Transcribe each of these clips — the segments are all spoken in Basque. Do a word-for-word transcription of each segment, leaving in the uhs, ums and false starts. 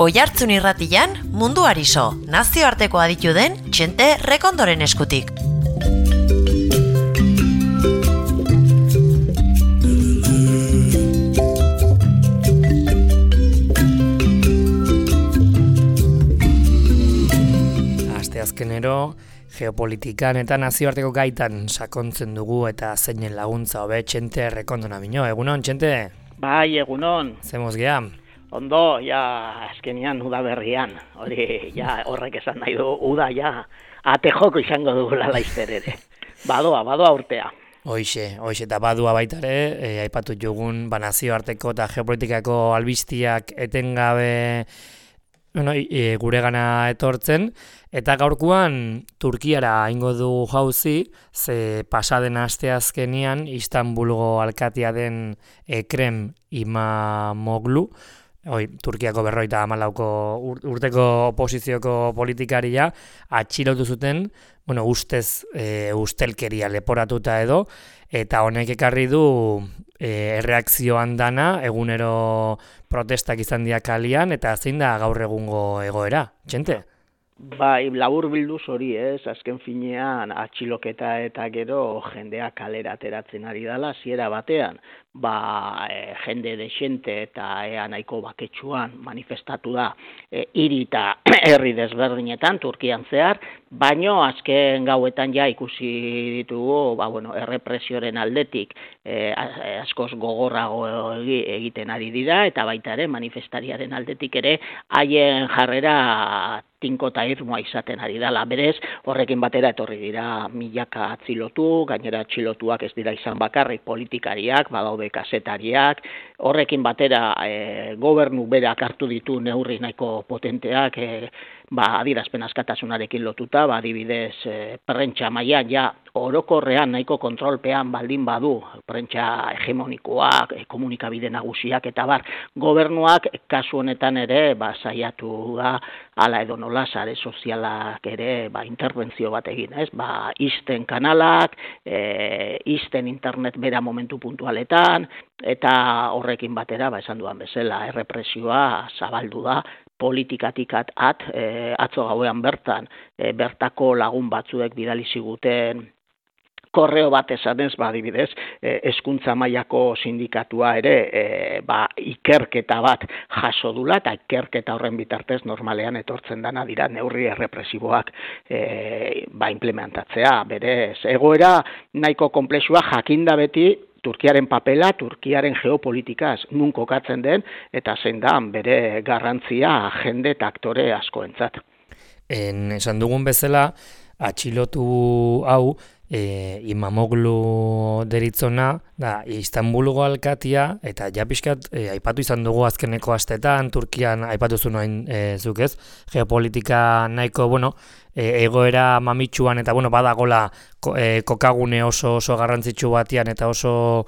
Oihartzun irratian, mundu ariso, nazioarteko aditu den Txente Rekondoren eskutik. Asteazkenero, geopolitikan eta nazioarteko gaitan sakontzen dugu eta zeinen laguntza hobe Txente Rekondona bino. Egunon, Txente? Bai, egunon. Zemoz geha? Ondo, ja, azkenian udaberrian, hori, ja, horrek esan nahi du, uda, ja, ate joko izango dugula laizter ere. Badoa, badoa urtea. Hoixe, hoixe, eta badua baita ere, e, aipatu jugun, ba, nazioarteko eta geopolitikako albiztiak etengabe bueno, e, gure gana etortzen, eta gaurkoan Turkiara ingo du jauzi, ze pasaden asteazkenian Istanbulgo alkatea den Ekrem İmamoğlu, Hoi, Turkiako berroita hamalauko urteko oposizioko politikaria atxilotu zuten, bueno, ustez e, ustelkeria leporatuta edo, eta honek ekarri du e, erreakzioan dana, egunero protestak izan dira kalian, eta zein da gaur egungo egoera, Txente? Bai, labur bilduz hori ez, azken finean atxiloketa eta gero jendea kalera ateratzen ari dela, ziera batean, ba, e, jende desente eta ea nahiko baketsuan manifestatu da e, hiri eta herri desberdinetan, Turkian zehar, baino azken gauetan ja ikusi ditugu, ba, bueno, errepresioren aldetik e, askoz gogorrago egiten ari dira, eta baita ere manifestariaren aldetik ere haien jarrera tinko eta irmoa izaten ari dela. Berez, horrekin batera etorri dira milaka atzilotu, gainera atxilotuak ez dira izan bakarrik politikariak, badaude kazetariak, horrekin batera e, gobernu berak hartu ditu neurri nahiko potenteak, e, ba, adierazpen askatasunarekin lotuta, ba, adibidez, e, prentsa mailan ja orokorrean nahiko kontrolpean baldin badu, prentsa hegemonikoak, e, komunikabide nagusiak eta bar, gobernuak kasu honetan ere ba, saiatu da, hala edo nola sare sozialak ere ba, interbentzio bat egin, ez? Ba, isten kanalak, e, isten internet bera momentu puntualetan, eta horrekin batera, ba, esan duan bezala, errepresioa zabaldu da, politikatik at, at e, atzo gauean bertan, e, bertako lagun batzuek bidali ziguten korreo bat esanez, ba, adibidez, eh, hezkuntza mailako sindikatua ere eh, ba, ikerketa bat jaso dula, eta ikerketa horren bitartez normalean etortzen dana dira neurri errepresiboak eh, ba, implementatzea. Berez, egoera nahiko konplexua jakinda beti Turkiaren papela, Turkiaren geopolitikaz nun kokatzen den, eta zein da bere garrantzia jende eta aktore askoentzat. En, esan dugun bezala, atxilotu hau, E, İmamoğlu deritzona, da, Istanbulgo alkatia, eta ja pixkat, e, aipatu izan dugu azkeneko astetan, Turkian aipatu zuen noin e, zuk ez, geopolitika nahiko, bueno, e, egoera mamitsuan, eta bueno, badagola ko, e, kokagune oso oso garrantzitsu batian, eta oso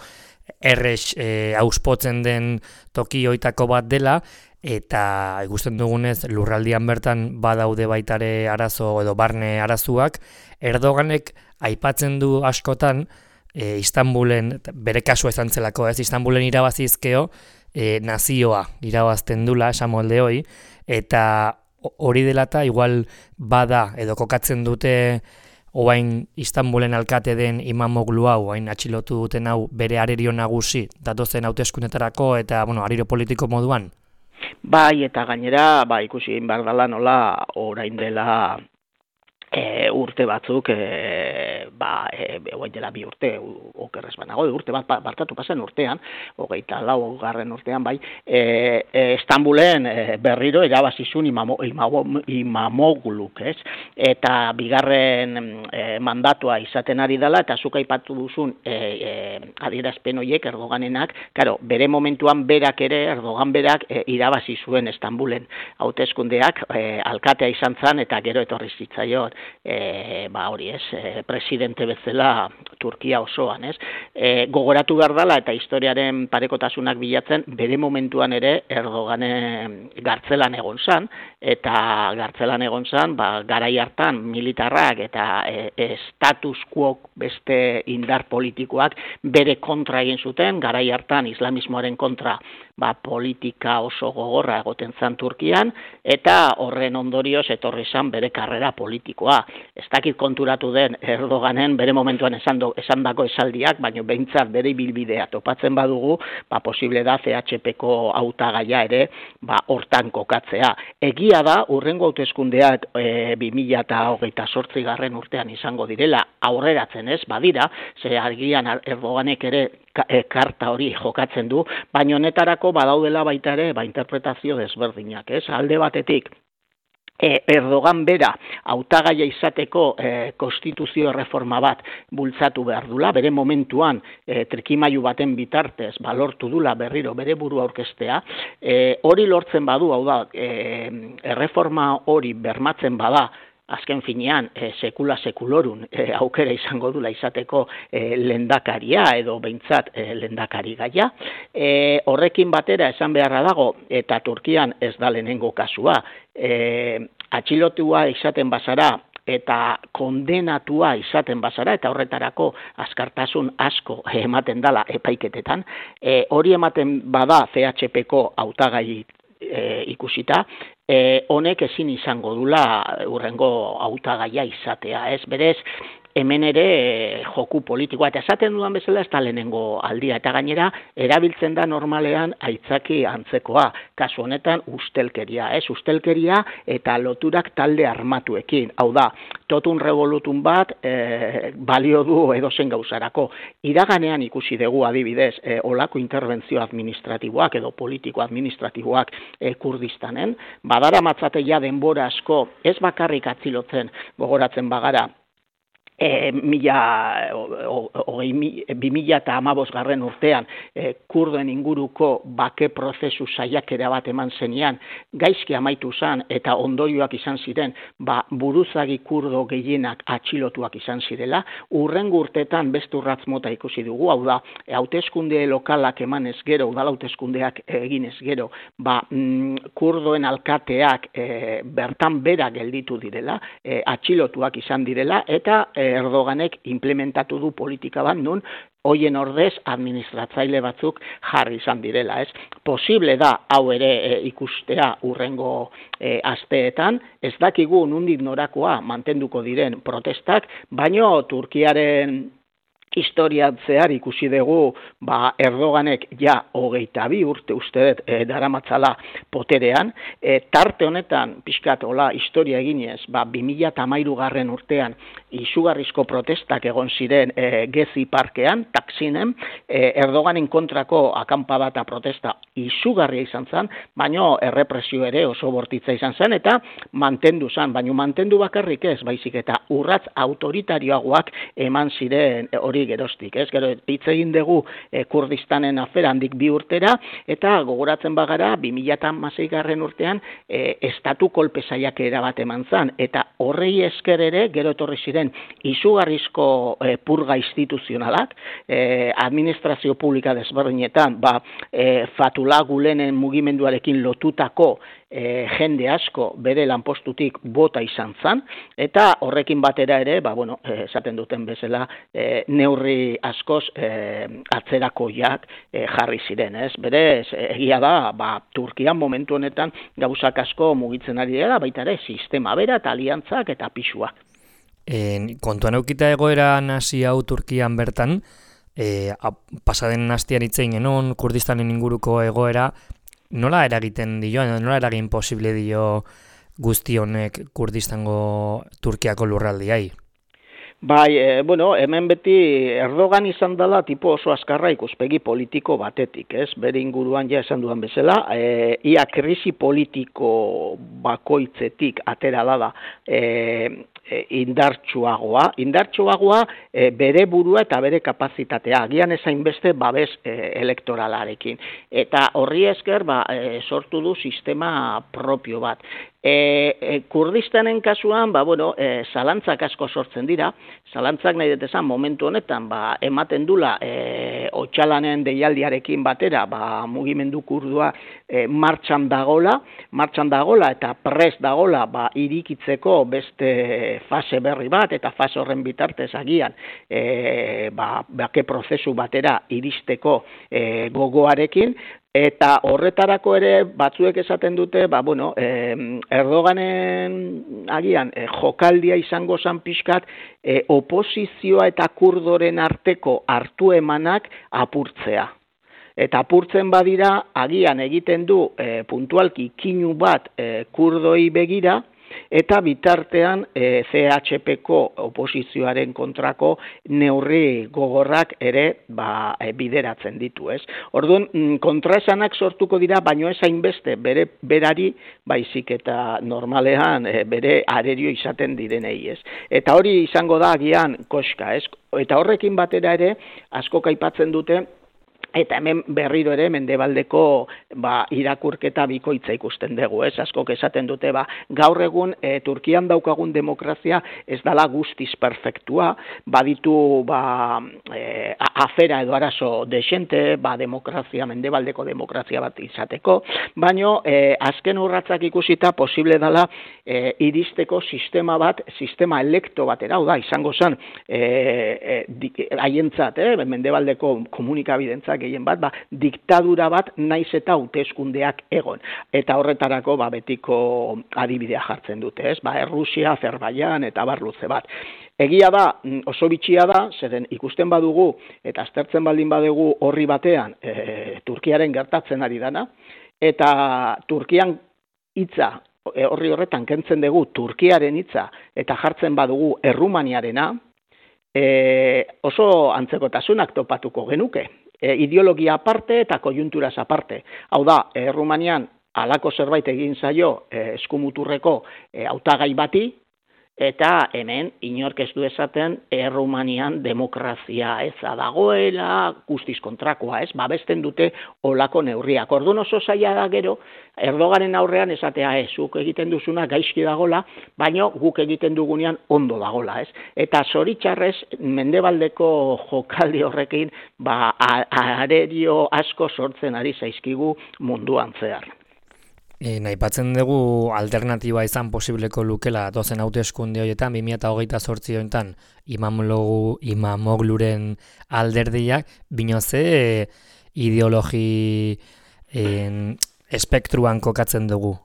errex e, auspotzen den toki hoitako bat dela, eta ikusten dugunez lurraldian bertan badaude baitare arazo edo barne arazuak, Erdoganek aipatzen du askotan e, Istanbulen, bere kasua izan zelako, ez, Istanbulen irabazizkeo e, nazioa irabazten dula, esan molde hoi, eta hori dela eta igual bada edo kokatzen dute oain Istanbulen alkate den İmamoğlu hau, oain atxilotu duten hau bere arerio nagusi, datozen hauteskundetarako eta bueno, arerio politiko moduan. Bai, eta gainera, ba, ikusi egin behar dela nola orain dela E, urte batzuk, e, ba, e, oain dela bi urte, okerrez banago, urte bat barkatu pasen urtean, hogeita lau garren urtean, bai, e, e, Istanbulen e, berriro erabazizun imamo, imamo, Imamoğluk, ez? Eta bigarren e, mandatua izaten ari dela, eta zuk aipatu duzun e, e, adierazpen horiek Erdoganenak, karo, bere momentuan berak ere, Erdogan berak e, irabazi zuen Istanbulen hauteskundeak, e, alkatea izan zen, eta gero etorri zitzaion. e, ba hori ez, e, presidente bezala Turkia osoan, ez? E, gogoratu behar dela eta historiaren parekotasunak bilatzen, bere momentuan ere Erdoganen gartzelan egon zan, eta gartzelan egon zan, ba, garai hartan militarrak eta e, status quo beste indar politikoak bere kontra egin zuten, garai hartan islamismoaren kontra ba, politika oso gogorra egoten zan Turkian, eta horren ondorioz etorri zan bere karrera politikoa. Ez dakit konturatu den Erdoganen bere momentuan esan, do, esan dako esaldiak, baina behintzat bere ibilbidea topatzen badugu, ba, posible da C H P-ko hautagaia ere ba, hortan kokatzea. Egia da, urrengo hauteskundeak e, bi mila hogeita zortzi garren urtean izango direla, aurreratzen ez, badira, ze argian Erdoganek ere karta hori jokatzen du, baina honetarako badaudela baita ere ba, interpretazio desberdinak, ez? Alde batetik, Erdogan bera hautagaia izateko e, konstituzio erreforma bat bultzatu behar dula, bere momentuan e, trikimailu baten bitartez balortu dula berriro bere burua aurkeztea, e, hori lortzen badu, hau da, e, erreforma hori bermatzen bada, azken finean, e, sekula sekulorun e, aukera izango dula izateko e, lendakaria edo behintzat e, lendakari gaia. E, horrekin batera esan beharra dago, eta Turkian ez da lehenengo kasua, e, atxilotua izaten bazara, eta kondenatua izaten bazara, eta horretarako azkartasun asko ematen dala epaiketetan, e, hori ematen bada C H P-ko hautagai e, ikusita, E, honek ezin izango dula urrengo hautagaia izatea, ez? Berez, hemen ere e, joku politikoa, eta esaten dudan bezala ez da lehenengo aldia, eta gainera erabiltzen da normalean aitzaki antzekoa, kasu honetan ustelkeria, ez? Ustelkeria eta loturak talde armatuekin, hau da, totun revolutun bat e, balio du edozen gauzarako. Iraganean ikusi dugu adibidez, e, olako interbentzio administratiboak edo politiko administratiboak e, Kurdistanen, badara matzateia denbora asko, ez bakarrik atzilotzen gogoratzen bagara, E, mila, o, o, bi mila eta hamabost garren urtean e, kurdoen inguruko bake prozesu saiakera bat eman zenean, gaizki amaitu zen eta ondorioak izan ziren, ba, buruzagi kurdo gehienak atxilotuak izan zirela, urrengo urtetan beste urratz mota ikusi dugu, hau da, hauteskunde lokalak eman ez gero, udal hauteskundeak egin ez gero, ba, mm, kurdoen alkateak e, bertan bera gelditu direla, e, atxilotuak izan direla, eta e, Erdoganek implementatu du politika bat nun hoien ordez administratzaile batzuk jarri izan direla, ez? Posible da hau ere e, ikustea urrengo e, asteetan, ez dakigu nondik norakoa mantenduko diren protestak, baino Turkiaren historian zehar ikusi dugu ba, Erdoganek ja hogeita bi urte uste dut e, daramatzala poterean, e, tarte honetan pixkat hola historia eginez, ba, bi mila hamairu garren urtean izugarrizko protestak egon ziren e, Gezi parkean, Taksinen, e, Erdoganen kontrako akanpada eta protesta izugarria izan zen, baino errepresio ere oso bortitza izan zen, eta mantendu zen, baino mantendu bakarrik ez, baizik eta urratz autoritarioagoak eman ziren e, hori gerostik, ez? Gero hitz egin dugu e, Kurdistanen afera handik bi urtera, eta gogoratzen bagara bi mila hamasei garren urtean e, estatu kolpe saiakera bat eman zan, eta horrei esker ere gero etorri ziren izugarrizko e, purga instituzionalak, e, administrazio publika desberdinetan, ba, e, Fatullah Gulenen mugimenduarekin lotutako E, jende asko bere lanpostutik bota izan zan, eta horrekin batera ere, ba, bueno, e, esaten duten bezala, e, neurri askoz e, atzerakoiak e, jarri ziren, ez? Berez, egia da, ba, Turkian momentu honetan gauzak asko mugitzen ari dela, baita ere, sistema bera eta aliantzak eta pisuak. E, kontuan eukita egoera nazi hau Turkian bertan, e, pasaden hastian hitzein genon, Kurdistanen inguruko egoera, nola eragiten dio, nola eragin posible dio guzti honek Kurdistango Turkiako lurraldiai? Bai, e, bueno, hemen beti Erdogan izan dela tipo oso azkarra ikuspegi politiko batetik, ez? Bere inguruan ja esan dudan bezala, e, ia krisi politiko bakoitzetik atera da e, indartsuagoa, indartsuagoa e, bere burua eta bere kapazitatea, agian ezain beste babes e, elektoralarekin. Eta horri esker ba, e, sortu du sistema propio bat. E, e, Kurdistanen kasuan, ba, bueno, e, zalantzak asko sortzen dira, zalantzak nahi dut esan momentu honetan, ba, ematen dula e, Otsalanen deialdiarekin batera, ba, mugimendu kurdua e, martxan dagola, martxan dagola eta prest dagola, ba, irikitzeko beste fase berri bat, eta fase horren bitartez agian, e, ba, bake prozesu batera iristeko e, gogoarekin, eta horretarako ere batzuek esaten dute, ba, bueno, eh, Erdoganen agian eh, jokaldia izango zan pixkat eh, oposizioa eta kurdoren arteko hartu emanak apurtzea. Eta apurtzen badira, agian egiten du eh, puntualki kinu bat eh, kurdoi begira, eta bitartean e, C H P-ko oposizioaren kontrako neurri gogorrak ere ba, e, bideratzen ditu, ez? Orduan, kontraesanak sortuko dira, baino ez hainbeste bere berari, baizik eta normalean e, bere arerio izaten direnei, ez? Eta hori izango da agian koska, ez? Eta horrekin batera ere, asko aipatzen dute, eta hemen berriro ere mendebaldeko ba, irakurketa bikoitza ikusten dugu, ez? Askok esaten dute, ba, gaur egun e, Turkian daukagun demokrazia ez dala guztiz perfektua, baditu ba, e, afera edo arazo desente, ba, demokrazia, mendebaldeko demokrazia bat izateko, baino e, azken urratzak ikusita posible dala e, iristeko sistema bat, sistema elekto batera, hau da, izango zen haientzat, e, e, mendebaldeko komunikabidentzak gehien bat, ba, diktadura bat naiz eta hauteskundeak egon. Eta horretarako ba, betiko adibidea jartzen dute, ez? Ba, Errusia, Azerbaijan eta bar luze bat. Egia da, oso bitxia da, zeren ikusten badugu eta aztertzen baldin badugu horri batean e, Turkiaren gertatzen ari dana, eta Turkian hitza horri horretan kentzen dugu Turkiaren hitza eta jartzen badugu Errumaniarena, e, oso antzekotasunak topatuko genuke. E, ideologia aparte eta kojunturaz aparte. Hau da, Errumanian halako zerbait egin zaio e, eskumuturreko e, hautagai bati, eta hemen inork ez du esaten Errumanian demokrazia eza dagoela, guztiz kontrakoa, ez? Babesten dute olako neurriak. Orduan oso zaila da gero, Erdogaren aurrean esatea, ez, zuk egiten duzuna gaizki dagola, baino guk egiten dugunean ondo dagola, ez? Eta zoritxarrez, mendebaldeko jokaldi horrekin, ba, arerio asko sortzen ari zaizkigu munduan zehar. E, Naipatzen dugu alternatiba izan posibleko lukela dozen hauteskunde horietan, bi mila hogeita zortzi honetan Imamogluren alderdiak, bino ze e, ideologi e, espektruan kokatzen dugu?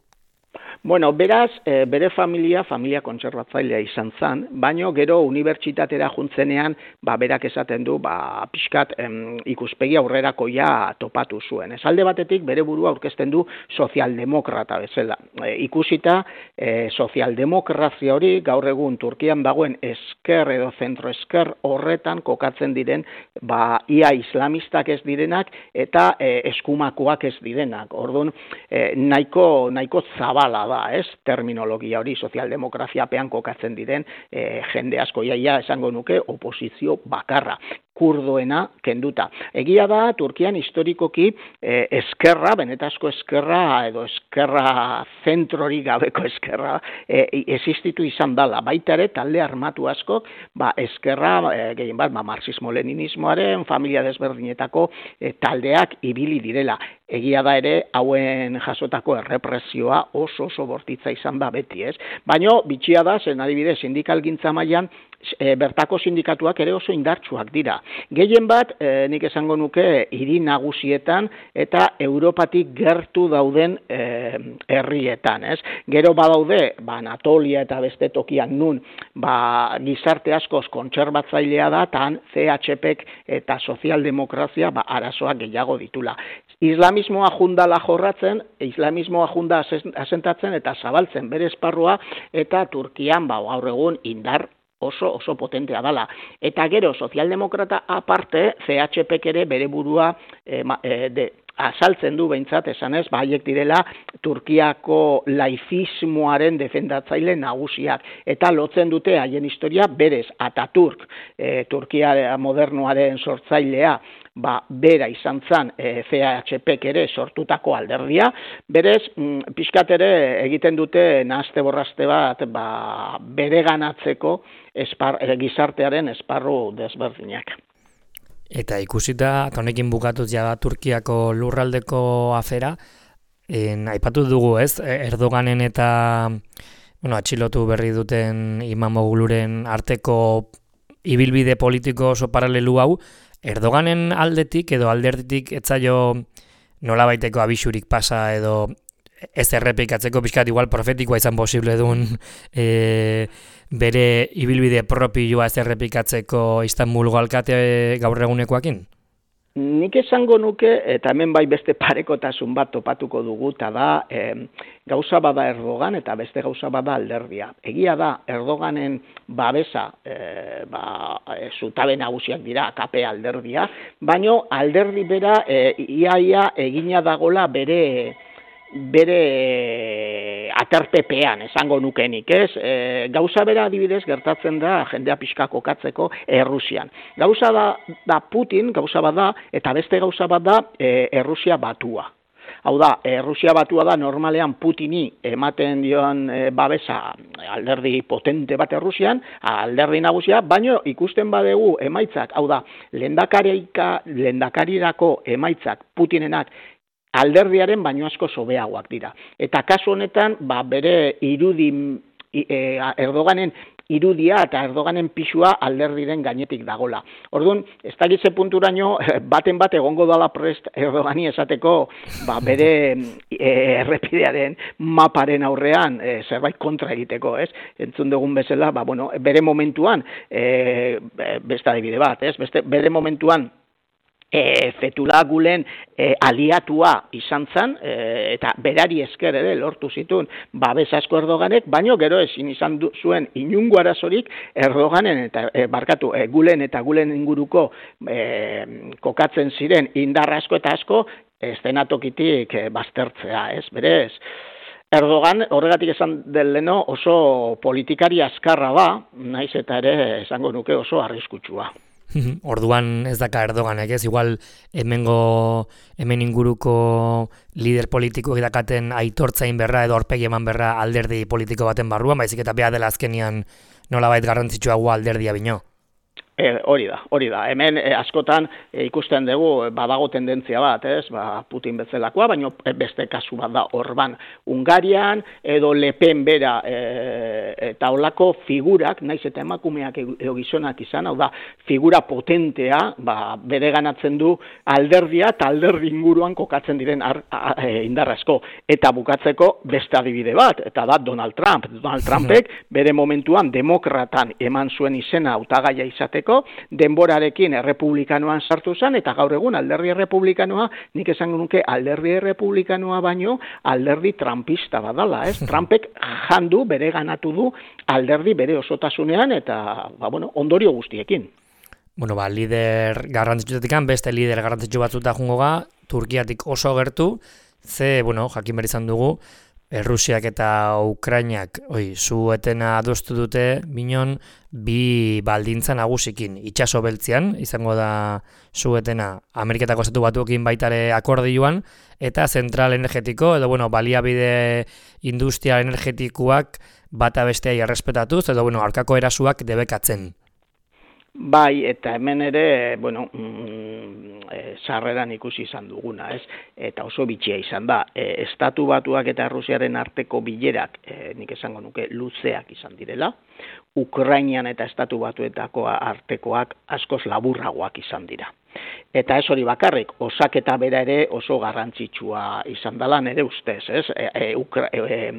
Bueno, beraz, e, bere familia, familia kontserbatzailea izan zen, baino gero unibertsitatera juntzenean, ba, berak esaten du, ba, pixkat em, ikuspegi aurrerakoia topatu zuen. Ez alde batetik, bere burua aurkezten du sozialdemokrata bezala. E, ikusita, e, sozialdemokrazia hori, gaur egun Turkian dagoen esker edo zentroesker horretan kokatzen diren, ba, ia islamistak ez direnak, eta e, eskumakoak ez direnak. Orduan, e, nahiko, nahiko zabala da, ez, terminologia hori sozialdemokraziapean kokatzen diren e, jende asko, iaia esango nuke oposizio bakarra, kurdoena kenduta. Egia da, Turkian historikoki e, eskerra, benetazko eskerra edo eskerra zentrori gabeko eskerra e, existitu izan dala. Baita ere, talde armatu asko, ba, eskerra, e, gehien bat, ba, marxismo-leninismoaren, familia desberdinetako e, taldeak ibili direla. Egia da ere, hauen jasotako errepresioa oso oso bortitza izan da beti, ez? Baina, bitxia da, zen adibidez, sindikalgintza mailan, e, bertako sindikatuak ere oso indartsuak dira. Gehien bat, e, nik esango nuke, hiri nagusietan eta Europatik gertu dauden e, herrietan, ez? Gero badaude, ba, Anatolia eta beste tokian nun, ba, gizarte askoz kontserbatzailea da, tan C H P-ek eta sozialdemokrazia, ba, arazoak gehiago ditula. Islamismoa jundala jorratzen, islamismoa junda asentatzen eta zabaltzen bere esparrua, eta Turkian, ba, gaur egun indar oso oso potentea dala. Eta gero, sozialdemokrata aparte, C H P-ek ere bere burua e, ma, e, de, azaltzen du behintzat, esanez, ba, haiek direla Turkiako laizismoaren defendatzaile nagusiak, eta lotzen dute haien historia berez, Ataturk, e, Turkia modernoaren sortzailea, ba, bera izan zan e, C H Pk ere sortutako alderdia, berez, mm, pixkat ere egiten dute nahazte borraste bat, ba, bereganatzeko espar, e, gizartearen esparru desberdinak. Eta ikusita, eta honekin bukatuz ja Turkiako lurraldeko afera, en, aipatu dugu ez, Erdoganen eta bueno, atxilotu berri duten Imamogluren arteko ibilbide politiko oso paralelu hau, Erdoganen aldetik edo alderditik etzaio nolabaiteko abisurik pasa edo ez errepikatzeko pixkat igual profetikoa izan posible duen e, bere ibilbide propioa ez errepikatzeko Istanbulgo alkate gaur egunekoakin? Nik esango nuke, eta hemen bai beste parekotasun bat topatuko dugu, eta da eh, gauza bada Erdogan eta beste gauza bada alderdia. Egia da, Erdoganen babesa, eh, ba, e, zutabe nagusiak dira, K P alderdia, baino alderdi bera eh, iaia egina dagola bere bere aterpepean, esango nukenik, ez? E, gauza bera adibidez gertatzen da jendea pixka kokatzeko Errusian. Gauza da, da Putin, gauza bat da, eta beste gauza bat da e, Errusia batua. Hau da, Errusia batua da normalean Putini ematen dion e, babesa alderdi potente bat Errusian, alderdi nagusia, baino ikusten badegu emaitzak, hau da, lehendakarirako emaitzak Putinenak alderdiaren baino asko sobeagoak dira. Eta kasu honetan, ba, bere irudi, e, Erdoganen irudia eta Erdoganen pisua alderdiren gainetik dagola. Orduan, ez dakize punturaino, baten bat egongo dala prest Erdogani esateko, ba, bere e, errepidearen maparen aurrean e, zerbait kontra egiteko, ez? Entzun dugun bezala, ba, bueno, bere momentuan, e, beste adibide bat, ez? Beste, bere momentuan, E, Fethullah Gulen e, aliatua izan zen, e, eta berari esker ere lortu zituen babes asko Erdoganek, baino gero ezin izan du, zuen inungo arazorik Erdoganen eta e, barkatu e, Gulen eta Gulen inguruko e, kokatzen ziren indar asko eta asko estenatokitik e, baztertzea, ez, berez. Erdogan, horregatik esan del leno, oso politikari azkarra da, naiz eta ere esango nuke oso arriskutsua. Orduan ez daka Erdoganek, ez? Igual hemengo hemen inguruko lider politikoek dakaten aitortzain berra edo aurpegi eman berra alderdi politiko baten barruan, baizik eta bea dela azkenian nolabait garrantzitsuagoa alderdia bino. E, hori da, hori da. Hemen e, askotan e, ikusten dugu badago tendentzia bat, ez? Ba, Putin bezalakoa, baina beste kasu bat da Orban Hungarian edo Le Pen bera e, eta holako figurak, naiz eta emakumeak edo gizonak izan, hau da, figura potentea, ba, bere ganatzen du alderdia eta alderdi inguruan kokatzen diren ar, a, e, indarrazko. Eta bukatzeko beste adibide bat, eta da Donald Trump. Donald Trumpek bere momentuan demokratan eman zuen izena hautagaia izateko, denborarekin errepublikanoan sartu zen, eta gaur egun alderdi errepublikanoa, nik esango nuke alderdi errepublikanoa baino alderdi trumpista badala, ez? Trumpek jandu, bere ganatu du alderdi bere osotasunean, eta ba, bueno, ondorio guztiekin. Bueno, ba, lider garrantzitsuetik beste lider garrantzitsu batzuta jungo ga, Turkiatik oso gertu, ze, bueno, jakin behar izan dugu, Errusiak eta Ukrainak oi, su-etena adostu dute binon bi baldintza nagusikin. Itxaso beltzean, izango da su-etena Ameriketako Estatu Batuekin baitare akordioan, eta zentral energetiko, edo bueno, baliabide industria energetikoak bata besteai errespetatuz, edo bueno, aurkako erasuak debekatzen. Bai, eta hemen ere, bueno, mm, e, sarreran ikusi izan duguna, ez? Eta oso bitxia izan da. E, Estatu Batuak eta Rusiaren arteko bilerak, e, nik esango nuke, luzeak izan direla. Ukrainian eta Estatu Batuetako artekoak askoz laburragoak izan dira. Eta ez hori bakarrik, osaketa bera ere oso garrantzitsua izan dela nere ustez, ez? E, e, Ukra, e,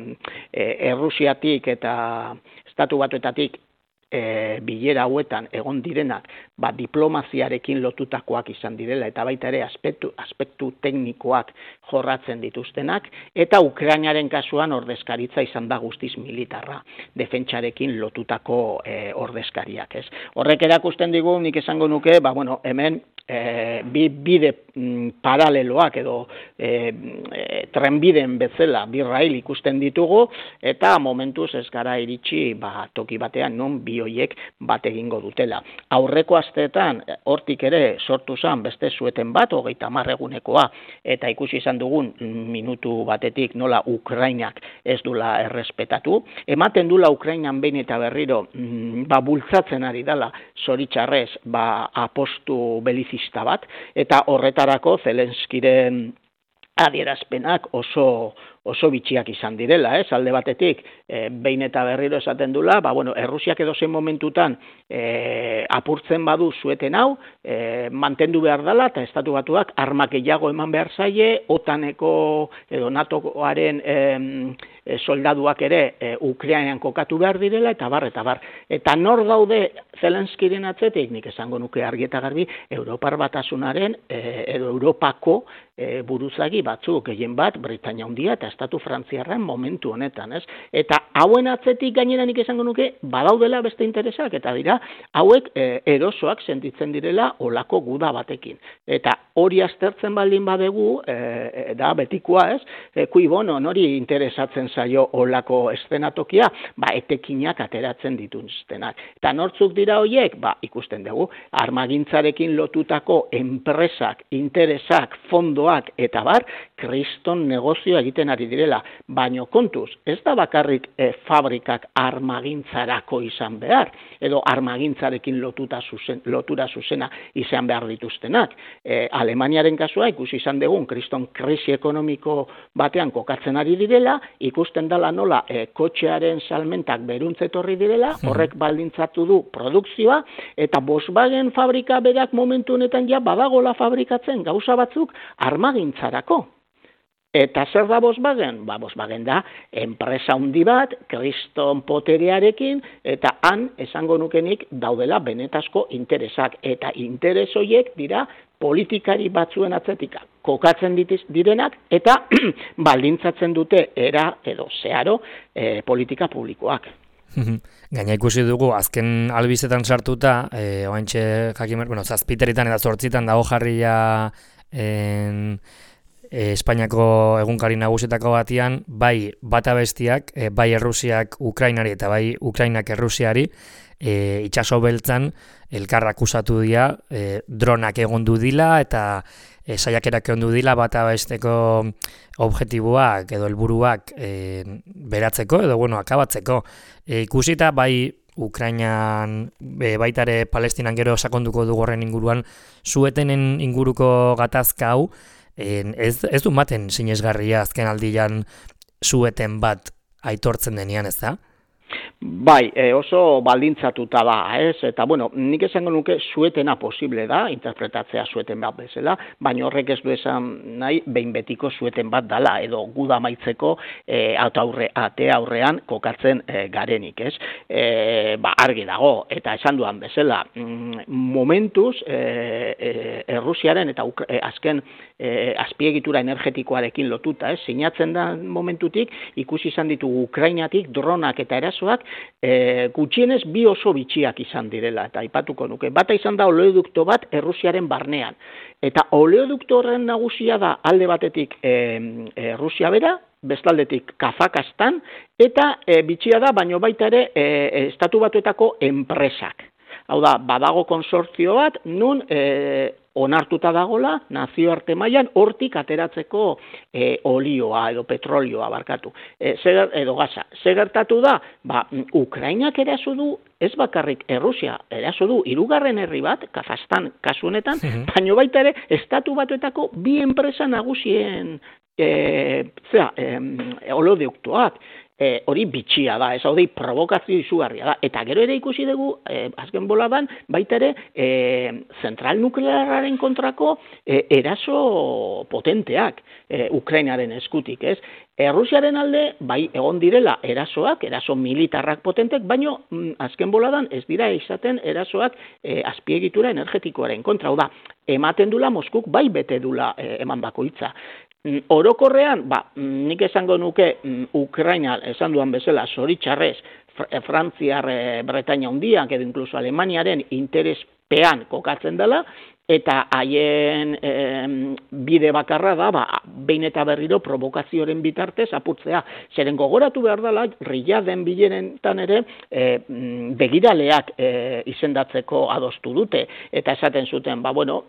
e, Errusiatik eta Estatu Batuetatik e, bilera hauetan egon direnak ba, diplomaziarekin lotutakoak izan direla eta baita ere aspektu, aspektu teknikoak jorratzen dituztenak eta Ukrainaren kasuan ordezkaritza izan da guztiz militarra, defentsarekin lotutako e, ordezkariak. Ez? Horrek erakusten digu, nik esango nuke, ba, bueno, hemen e, bi bide mm, paraleloak edo e, e, trenbiden bezala bi rail ikusten ditugu eta momentuz ez gara iritsi ba, toki batean non bi hoiek bat egingo dutela. Aurreko asteetan hortik ere sortu zen beste sueten bat, hogeita hamar egunekoa, eta ikusi izan dugun minutu batetik nola Ukrainak ez dula errespetatu. Ematen dula Ukrainan behin eta berriro mm, ba, bultzatzen ari dela zoritxarrez ba, apostu belizista bat, eta horretarako Zelenskiren adierazpenak oso oso bitxiak izan direla, ez? Alde batetik, e, behin eta berriro esaten dula, ba, bueno, Errusiak edozein momentutan e, apurtzen badu zueten hau, e, mantendu behar dela, eta estatu batuak armak gehiago eman behar zaie, otaneko edo natoaren e, e, soldaduak ere e, Ukrainan kokatu behar direla, eta bar, eta bar. Eta nor daude Zelenskiren atzetik, nik esango nuke argi eta garbi, Europar Batasunaren e, edo Europako e, buruzagi batzuk, gehien bat, Britainia Handia eta Estatu Frantziarren momentu honetan, ez? Eta hauen atzetik gainera nik esango nuke badaudela beste interesak, eta dira, hauek e, erosoak sentitzen direla olako guda batekin. Eta hori aztertzen baldin badegu, e, da betikoa, ez? E, kui bono, nori interesatzen zaio olako eszenatokia, ba, etekinak ateratzen dituztenak. Eta nortzuk dira horiek, ba, ikusten dugu, armagintzarekin lotutako enpresak, interesak, fondoak, eta bar, kriston negozioa egiten ari direla, baino kontuz, ez da bakarrik e, fabrikak armagintzarako izan behar, edo armagintzarekin lotuta zuzen, lotura zuzena izan behar dituztenak. E, Alemaniaren kasua ikusi izan dugun, kriston krisi ekonomiko batean kokatzen ari direla, ikusten dela nola e, kotxearen salmentak beruntzetorri direla, horrek baldintzatu du produkzioa, eta Volkswagen fabrika berak momentu honetan ja badagola fabrikatzen gauza batzuk armagintzarako. Eta zer da Volkswagen? Ba, Volkswagen da enpresa handi bat, kriston poterearekin, eta han esango nukenik daudela benetazko interesak. Eta interes horiek dira politikari batzuen atzetika kokatzen ditiz, direnak, eta baldintzatzen dute era edo zeharo e, politika publikoak. Gaina ikusi dugu, azken albizetan sartuta, e, oaintxe jakimer, bueno, zazpiteritan eta zortzitan dago jarria en... E, Espainiako egunkari nagusietako batian, bai bata bestiak, e, bai Errusiak Ukrainari eta bai Ukrainak Errusiari, e, itxaso beltzan elkarrak akusatu dira, e, dronak egondu dila eta e, saiakerak egondu dila bata besteko objektiboak edo helburuak e, beratzeko edo bueno, akabatzeko. E, ikusita bai Ukrainan, e, baita ere Palestinan gero sakonduko dugu horren inguruan, zuetenen inguruko gatazka hau, Ez, ez du maten sinesgarria azken aldian zueten bat aitortzen denean, ez da? Bai, e, oso baldintzatuta da, ez? Eta, bueno, nik esango nuke zuetena posible da, interpretatzea zueten bat bezala, baina horrek ez du esan nahi, behin betiko zueten bat dala, edo guda maitzeko e, aurre, ate aurrean kokatzen e, garenik, ez? E, ba, argi dago, eta esan duan bezala, mm, momentuz, e, e, Errusiaren eta e, azken e, azpiegitura energetikoarekin lotuta, ez? Sinatzen da momentutik, ikusi izan ditugu Ukrainatik, dronak eta erasoak, E, gutxienez bi oso bitxiak izan direla, eta aipatuko nuke. Bata izan da oleodukto bat Errusiaren barnean. Eta oleodukto horren nagusia da alde batetik e, e, Rusia bera, bestaldetik Kazakastan, eta e, bitxia da, baino baita ere e, estatu batuetako enpresak. Hau da, badago konsortzio bat, nun e, onartuta dagola, nazioarte mailan hortik ateratzeko e, olioa edo petrolioa barkatu, e, zer, edo gaza. Zer gertatu da? Ba, Ukrainak eraso du, ez bakarrik Errusia eraso du, hirugarren herri bat, Kazajstan kasu honetan, mm-hmm. baino baita ere, estatu batuetako bi enpresa nagusien e, zera, e, oleoduktoak. E, hori bitxia da, ez hori provokazio izugarria da. Eta gero ere ikusi dugu, e, azken boladan, baita ere, e, zentral nuklearraren kontrako e, eraso potenteak e, Ukrainaren eskutik, ez? E, Rusiaren alde, bai, egon direla erasoak, eraso militarrak potentek, baino mm, azken boladan ez dira izaten erasoak e, azpiegitura energetikoaren kontra. Hau da, ematen dula Moskuk bai bete dula e, eman bakoitza. Orokorrean, ba, nik esango nuke Ukraina, esan duan bezala, zoritxarrez, Frantziar, Bretaña hundiak, edo inkluso Alemaniaren interespean kokatzen dela, eta haien e, bide bakarra da, ba, behin eta berriro provokazioaren bitartez apurtzea. Zeren gogoratu behar dela, Riyaden bilerentan ere e, begiraleak e, izendatzeko adostu dute. Eta esaten zuten, ba, bueno,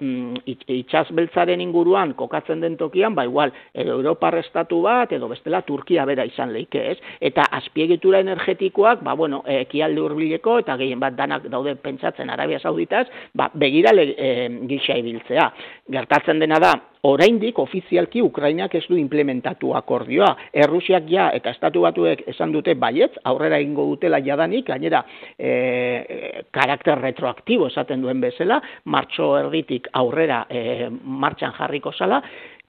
itxasbeltzaren inguruan kokatzen den tokian, ba, igual, edo Europar estatu bat, edo bestela Turkia bera izan leike, ez? Eta azpiegitura energetikoak, ba, bueno, ekialde hurbileko, eta gehien bat danak daude pentsatzen Arabia Sauditaz, ba, begirale e, gisa ibiltzea. Gertatzen dena da, oraindik ofizialki Ukrainak ez du implementatu akordioa. Errusiak ja eta Estatu Batuek esan dute baietz, aurrera egingo dutela jadanik, gainera e, karakter retroaktibo esaten duen bezala, martxo erditik aurrera e, martxan jarriko zala,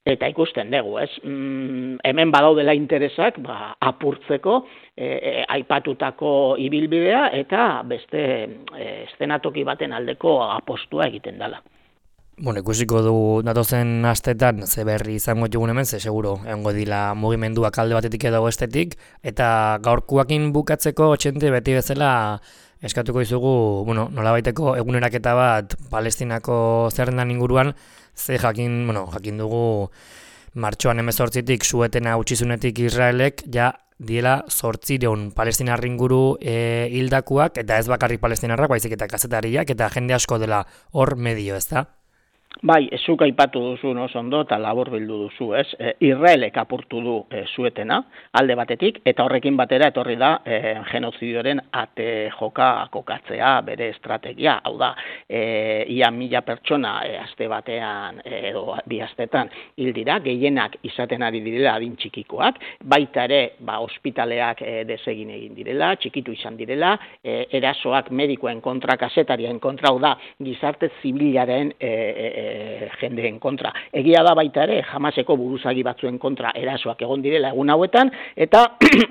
eta ikusten dugu, ez? Mm, hemen badaudela interesak, ba, apurtzeko, e, e, aipatutako ibilbidea, eta beste e, eszenatoki baten aldeko apostua egiten dela. Bueno, ikusiko du datozen astetan ze berri izango dugun hemen, ze seguro egongo dila mugimenduak alde batetik edo bestetik, eta gaurkoakin bukatzeko Txente beti bezala eskatuko dizugu, bueno, nolabaiteko eguneraketa bat Palestinako zerrendan inguruan, ze jakin, bueno, jakin dugu martxoan hemezortzitik suetena utzizunetik Israelek ja diela zortzireun palestinarri inguru e, hildakuak, eta ez bakarrik palestinarrak, baizik eta kazetariak, eta jende asko dela hor medio, ez da? Bai, ezuk aipatu duzu oso ondo eta labur bildu duzu, ez? E, Israelek apurtu du e, suetena, alde batetik, eta horrekin batera etorri da e, genozidioaren ate joka kokatzea bere estrategia. Hau da, e, ia mila pertsona e, aste batean e, edo bi astetan hil dira, gehienak izaten ari direla adin txikikoak, baita ere, ba, ospitaleak e, desegin egin direla, txikitu izan direla, e, erasoak medikoen kontra, kasetarien kontra, hau da, gizarte zibilaren e, e, jendeen kontra. Egia da baita ere, Hamaseko buruzagi batzuen kontra erasoak egon direla egun hauetan, eta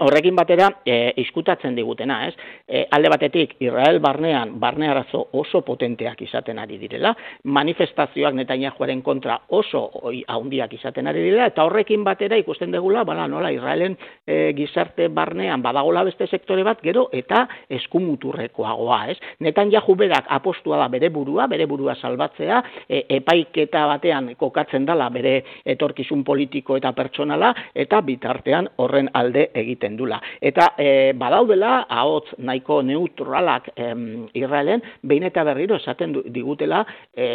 horrekin batera e, izkutatzen digutena, ez? E, alde batetik, Israel barnean, barne arazo oso potenteak izaten ari direla, manifestazioak Netanyahuaren kontra oso oi, haundiak izaten ari direla, eta horrekin batera ikusten degula, bala, nola, Israelen e, gizarte barnean badagola beste sektore bat, gero, eta eskumuturrekoagoa, ez? Netanyahu berak apostua da bere burua, bere burua salbatzea, e, epaiketa batean kokatzen dela bere etorkizun politiko eta pertsonala, eta bitartean horren alde egiten dula. Eta e, badaudela, ahots nahiko neutralak em, Israelen, behin eta berriro esaten digutela, e,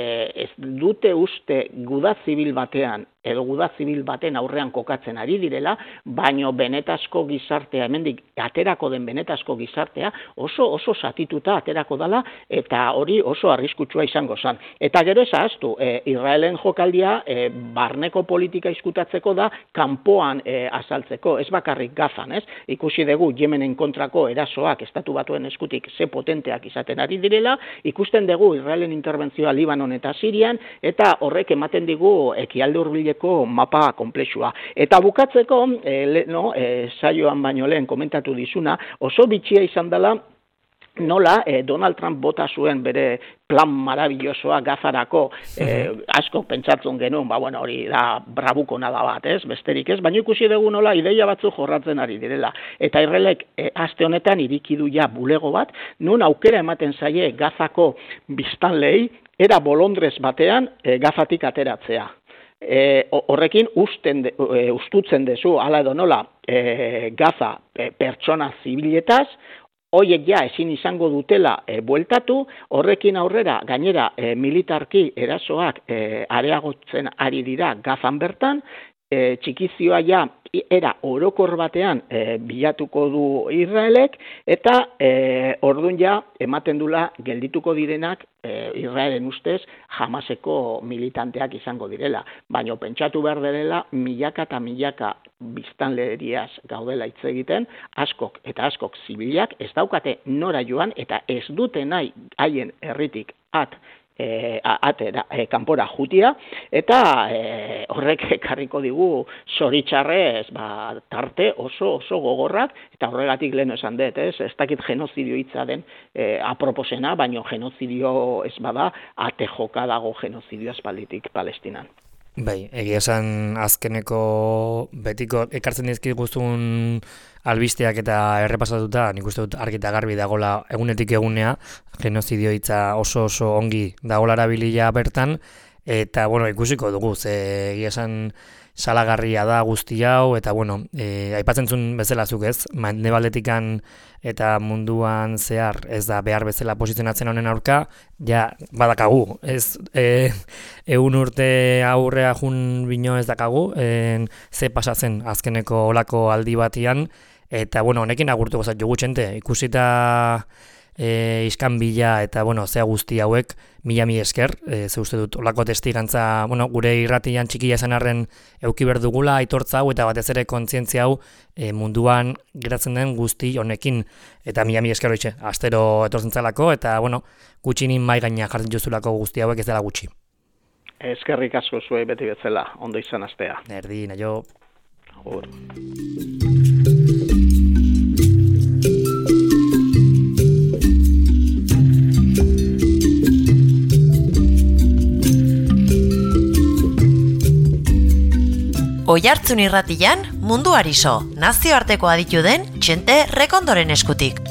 ez dute uste guda zibil batean, edo guda zibil baten aurrean kokatzen ari direla, baino benetazko gizartea, hemendik aterako den benetazko gizartea, oso oso satituta aterako dela, eta hori oso arriskutsua izango zen. Eta gero ez ahaztu, e, Israelen jokaldia e, barneko politika izkutatzeko da, kanpoan e, azaltzeko, ez bakarrik Gazan, ez? Ikusi dugu Yemenen kontrako erasoak Estatu Batuen eskutik ze potenteak izaten ari direla, ikusten dugu Israelen interbentzioa Libanon eta Sirian, eta horrek ematen digu ekialde hurbileko mapa komplexua. Eta bukatzeko, e, le, no, e, saioan baino lehen komentatu dizuna, oso bitxia izan dela, nola eh, Donald Trump bota zuen bere plan marabillosoa Gazarako, eh, asko pentsatzen genuen, ba, bueno, hori da brabuko nada bat, ez, besterik ez, baina ikusi dugu nola ideia batzu jorratzen ari direla. Eta Israelek eh, aste honetan irikidu ja bulego bat, nun aukera ematen zaie Gazako biztanleei, era bolondrez batean eh, Gazatik ateratzea. E, horrekin usten de, e, ustutzen dezu, hala edo nola, e, Gaza e, pertsona zibiletaz, hoiek ja ezin izango dutela e, bueltatu, horrekin aurrera gainera e, militarki erasoak e, areagotzen ari dira Gazan bertan, e, txikizioa ja era orokor batean e, bilatuko du Israelek, eta e, ordun ja ematen dula geldituko direnak e, Israelen ustez Hamaseko militanteak izango direla. Baina pentsatu behar direla milaka eta milaka biztanleriaz gaudela hitz egiten, askok eta askok zibilak ez daukate nora joan eta ez dute nahi haien herritik at E, atera, e, kanpora jutia, eta e, horrek ekarriko digu zoritxarrez ba, tarte oso oso gogorrak, eta horregatik lehen esan dut, ez, ez dakit genozidio hitza den e, aproposena, baino genozidio ez bada, ate joka dago genozidio aspalditik Palestinan. Bai, egia esan azkeneko betiko ekartzen dizkiguzun albisteak eta errepasatuta, nik uste dut argi eta garbi dagola egunetik egunea, genozidio hitza oso oso ongi dagola erabilia bertan, eta bueno, ikusiko dugu, ze egia esan salagarria da guzti hau, eta bueno, e, aipatzen zuen bezala zuk ez, mendebaldetikan eta munduan zehar ez da behar bezala posizionatzen honen aurka, ja badakagu, ez e, egun urte aurrea jun bino ez dakagu, en, ze pasatzen azkeneko olako aldi batian, eta bueno, honekin agurtuko zait jogu txente, ikusita E, iskan bila eta bueno, zea guzti hauek mila mi esker, e, ze uste dut olako testigantza, bueno, gure irratian txikia esan arren euki berdugula aitortza hau eta batez ere kontzientzia hau e, munduan geratzen den guzti honekin, eta mila mi esker hoitxe, astero etortzen zalako, eta bueno, gutxinin mai gaina jartzen jozulako guzti hauek ez dela gutxi. Eskerrik asko zuei beti bezala, ondo izan astea. Erdi, naio. Agur. Oihartzun irratian mundu ariso, nazioarteko aditu den Txente Rekondoren eskutik.